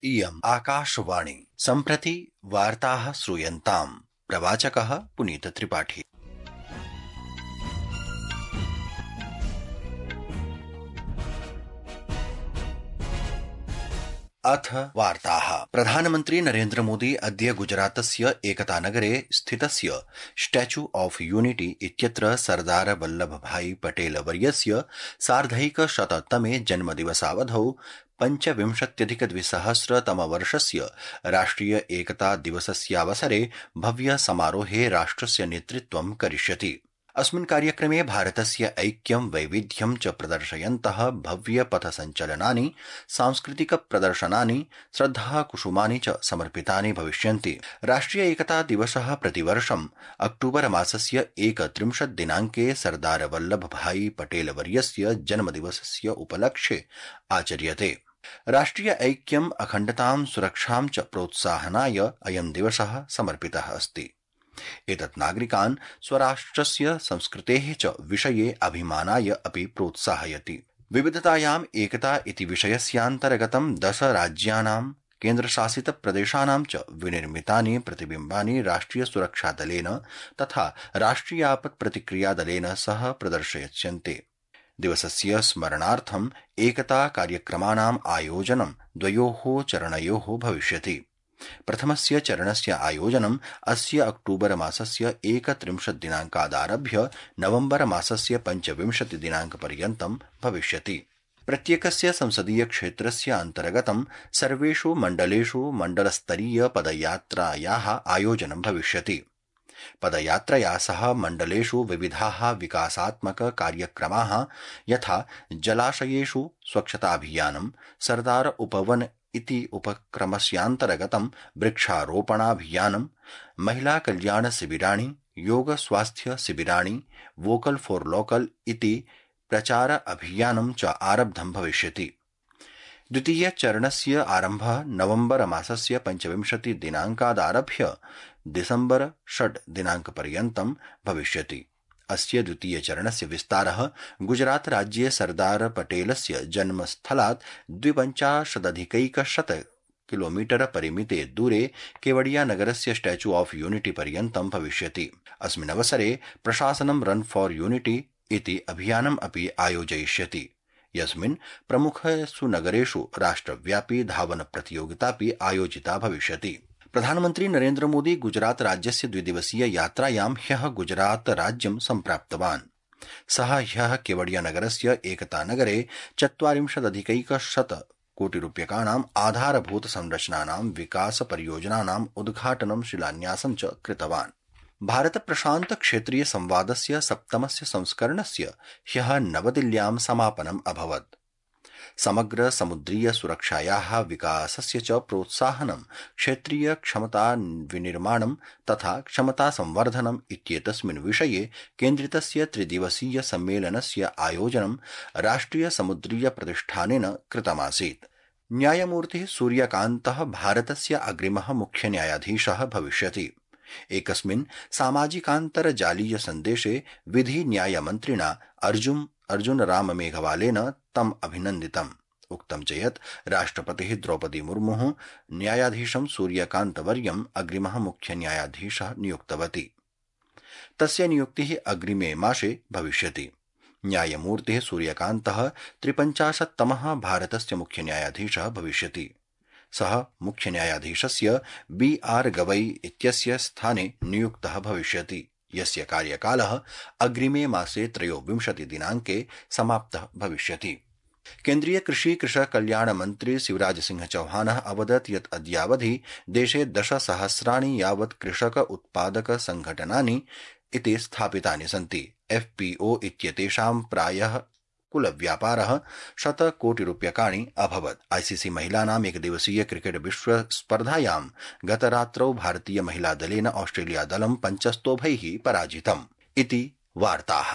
इयम् आकाशवाणी सम्प्रति वार्ताः श्रूयन्ताम्। प्रवाचकः पुनीत त्रिपाठी। अथ वार्ताः। प्रधानमन्त्री नरेन्द्र मोदी अद्य गुजरातस्य एकतानगरे स्थितस्य स्टैच्यू ऑफ यूनिटी इत्यत्र सरदार वल्लभभाई पटेल वर्यस्य सार्धैकशततमे जन्मदिवसावधौ 25,200 राष्ट्रिय एकता दिवसस्यावसरे भव्य समारोहे राष्ट्रस्य नेतृत्वं करिष्यति। अस्मिन् कार्यक्रमे भारतस्य ऐक्यं वैविध्यं च प्रदर्शयन्तः भव्य पथसञ्चलनानि, सांस्कृतिक प्रदर्शनानि, श्रद्धाकुसुमानि च समर्पितानि भविष्यन्ति। राष्ट्रिय एकता दिवसः प्रतिवर्षम् अक्टूबर मासस्य 31 दिनाङ्के सरदार वल्लभभाई पटेल वर्यस्य जन्मदिवसस्य उपलक्ष्ये आचर्यते। राष्ट्रिय ऐक्यम्, अखण्डतां, सुरक्षां च प्रोत्साहनाय अयं दिवसः समर्पितः अस्ति। एतत् नागरिकान् स्वराष्ट्रस्य संस्कृतेः च विषये अभिमानाय अपि प्रोत्साहयति। विविधतायाम् एकता इति विषयस्यान्तर्गतं 10 राज्यानां केन्द्रशासित प्रदेशानां च विनिर्मितानि प्रतिबिम्बानि राष्ट्रिय सुरक्षा दलेन तथा राष्ट्रियापत् प्रतिक्रिया दलेन सह प्रदर्शयिष्यन्ते। दिवसस्य स्मरणार्थम् एकता कार्यक्रमाणाम् आयोजनं 2 चरणयोः भविष्यति। प्रथमस्य चरणस्य आयोजनम् अस्य अक्टूबर मासस्य 31 दिनाङ्कादारभ्य नवम्बर मासस्य 25 दिनाङ्कपर्यन्तं भविष्यति। प्रत्येकस्य संसदीय क्षेत्रस्य अन्तर्गतं सर्वेषु मण्डलेषु मण्डलस्तरीय पदयात्रायाः आयोजनं भविष्यति। पदयात्रया सह मण्डलेषु विविधाः विकासात्मक कार्यक्रमाः यथा जलाशयेषु स्वच्छताभियानं, सरदार उपवन इति उपक्रमस्यान्तर्गतं वृक्षारोपणाभियानं, महिला कल्याण शिबिराणि, योग स्वास्थ्य शिबिराणि, वोकल फॉर लोकल इति प्रचार अभियानं च आरब्धं भविष्यति। द्वितीय चरणस्य आरम्भः नवम्बर मासस्य 25 दिनाङ्कादारभ्य डिसेम्बर 6 दिनाङ्कपर्यन्तं भविष्यति। अस्य द्वितीय चरणस्य विस्तारः गुजरात राज्ये सरदार पटेलस्य जन्मस्थलात् 52,100 किलोमीटर परिमिते दूरे केवडिया नगरस्य स्टैच्यू ऑफ यूनिटी पर्यन्तं भविष्यति। अस्मिन् अवसरे प्रशासनं रन फॉर यूनिटी इति अभियानम् अपि आयोजयिष्यति, यस्मिन् प्रमुखेषु नगरेषु राष्ट्रव्यापी धावन प्रतियोगितापि आयोजिता भविष्यति। प्रधानमन्त्री नरेन्द्र मोदी गुजरात राज्यस्य 2 दिवसीय यात्रायां ह्यः गुजरात राज्यं सम्प्राप्तवान्। सः ह्यः केवडिया नगरस्य एकतानगरे 40,100 कोटिरूप्यकाणाम् आधारभूत संरचनानां विकास परियोजनानाम् उद्घाटनं, शिलान्यासं च कृतवान्। भारत प्रशान्त क्षेत्रीय संवादस्य 7मस्य संस्करणस्य ह्यः नवदिल्ल्यां समापनम् अभवत्। समग्र समुद्रीय सुरक्षायाः विकासस्य च प्रोत्साहनं, क्षेत्रीय क्षमता विनिर्माणं तथा क्षमता संवर्धनम् इत्येतस्मिन् विषये केन्द्रितस्य 3 दिवसीय सम्मेलनस्य आयोजनं राष्ट्रिय समुद्रीय प्रतिष्ठानेन कृतमासीत्। न्यायमूर्तिः सूर्यकान्तः भारतस्य अग्रिमः मुख्य न्यायाधीशः भविष्यति। एकस्मिन् सामाजिकान्तर्जालीय सन्देशे विधि न्यायमन्त्रिणा अर्जुन राम मेघवालेन तम् अभिनन्दितम्। उक्तं च यत् राष्ट्रपतिः द्रौपदी मुर्मुः न्यायाधीशं सूर्यकान्तवर्यम् अग्रिमः मुख्य न्यायाधीशः नियुक्तवती। तस्य नियुक्तिः अग्रिमे मासे भविष्यति। न्यायमूर्तिः सूर्यकान्तः 53तमः भारतस्य मुख्य न्यायाधीशः भविष्यति। सः मुख्य न्यायाधीशस्य BR गवई इत्यस्य स्थाने नियुक्तः भविष्यति, यस्य कार्यकालः अग्रिमे मासे 23 दिनाङ्के समाप्तः भविष्यति। केन्द्रीय कृषि कृषक कल्याण मंत्री शिवराज सिंह चौहानः अवदत् यत् अद्यावधि देशे 10,000 यावत् कृषक उत्पादक संघटनानि इति स्थापितानि सन्ति। FPO इत्येतेषां प्रायः कुलव्यापारः 100 कोटिरूप्यकाणि अभवत्। ICC महिलानाम् एकदिवसीय क्रिकेट विश्व स्पर्धायां गतरात्रौ भारतीय महिला दलेन ऑस्ट्रेलिया दलं 5 स्तोभैः पराजितम्। इति वार्ताः।